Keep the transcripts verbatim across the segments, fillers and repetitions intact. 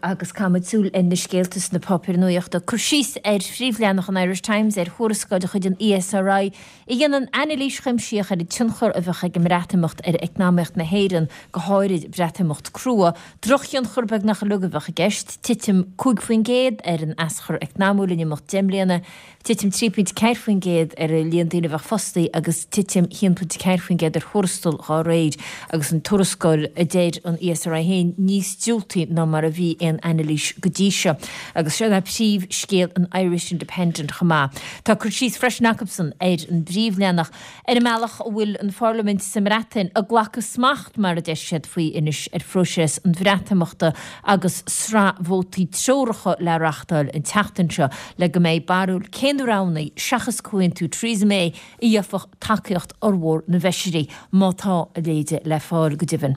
Agus caithfimid súil ar na scéalta sna páipéir nuachta. Cur síos ar phríomhleathanach an Irish Times ar thuarascáil de chuid an ESRI a dhéanann anailís chuimsitheach ar an tionchar a bheadh ag an mBreatimeacht ar eacnamaíocht na hÉireann, go háirid Breatimeacht crua. Drochthionchar beagnach uilig a bheadh i gceist, titim cúig faoin gcéad ar an aschur eacnamúil in imeacht deich mbliana, titim trí pointe ceathair faoin gcéad ar an líon daoine a bheadh fostaithe agus titim haon pointe ceathair faoin gcéad ar thuarastal dá réir, agus an tuarascáil, a deir an ESRI féin, níos diúltaí ná mar a bhí aon anailís go dtí seo. Agus seo é príomhscéal an Irish Independent chomh maith. Tá cur síos freisin acusan ar an bpríomhleathanach ar an mbealach a bhfuil an Pharlaimint sa mBreatain ag glacadh smacht, mar a deir siad faoi anois, ar phróiseas an Bhreatimeachta agus sraith vótaí treoracha le reáchtáil an tseachtain seo le go mbeidh barúil cé na roghanna, seachas comhaontú Theresa May, a gheobhadh tacaíocht fhormhór na bhfeisirí, má tá a leithéid le fáil, go deimhin.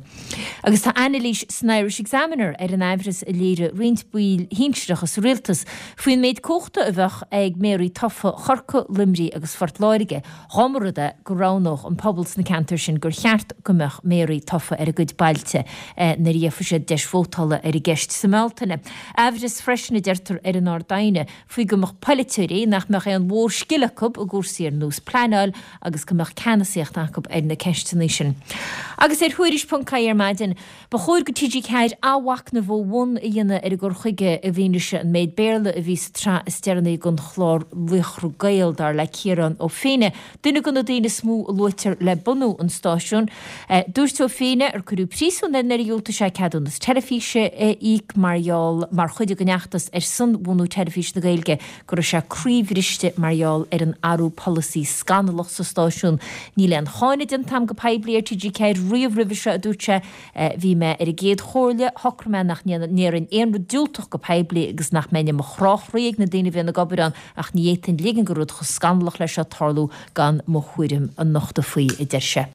Agus tá anailís san Irish Examiner ar an aimhreas a léirigh roinnt baill shinsearacha sa rialtas faoin méid cumhachta a bheadh ag méaraí tofa Chorcaí, Luimnigh agus Phort Láirge dá mba rud é go roghnódh an pobal sna ceantair sin gur cheart go mbeadh méaraí tofa ar a gcuid bailte nuair a gheofaidh siad deis vótála ar an gceist sa mBealtaine. Aimhreas freisin, a deirtear ar an Ard-Aighne, faoi go mbeadh polaiteoirí nach mbeadh aon mhórscil acu i gcúrsaí ar nós pleanáil agus go mbeadh ceannasaíocht acu ar na ceisteanna sin. Agus ar Thuairisc ponc ie ar maidin, ba chóir do TG Ceathair athmhachnamh ó bhun a dhéanamh ar a gcur chuige i bhfianaise an méid Béarla a bhí sa tsraith is deireanaí den chlár Laochra Gael, dar le Ciarán Ó Feinneadha, duine de na daoine is mó a luaitear le bunú an stáisiúin. Dúirt Ó Feinneadha, ar cuireadh príosún air nuair a dhiúltaigh sé ceadúnas teilifíse a íoc mar gheall mar chuid den fheachtas ar son bhunú Teilifís na Gaeilge, go raibh sé croíbhriste mar gheall ar an athrú polasaí scannalach sa stáisiún. Níl aon cháineadh déanta agam go poiblí ar TG Ceathair riamh roimhe seo, a dúirt sé. Bhí mé ar an gcéad chomhairle, shocraigh mé nach ndéarfainn aon rud diúltach go poiblí agus nach mbeinn i mo chrá chroí ag na daoine a bhíonn ag obair ann ach ní fhéadfainn ligean do rud chomh scannalach leis seo tarlú gan mo thuairim a nochtadh faoi, a deir sé.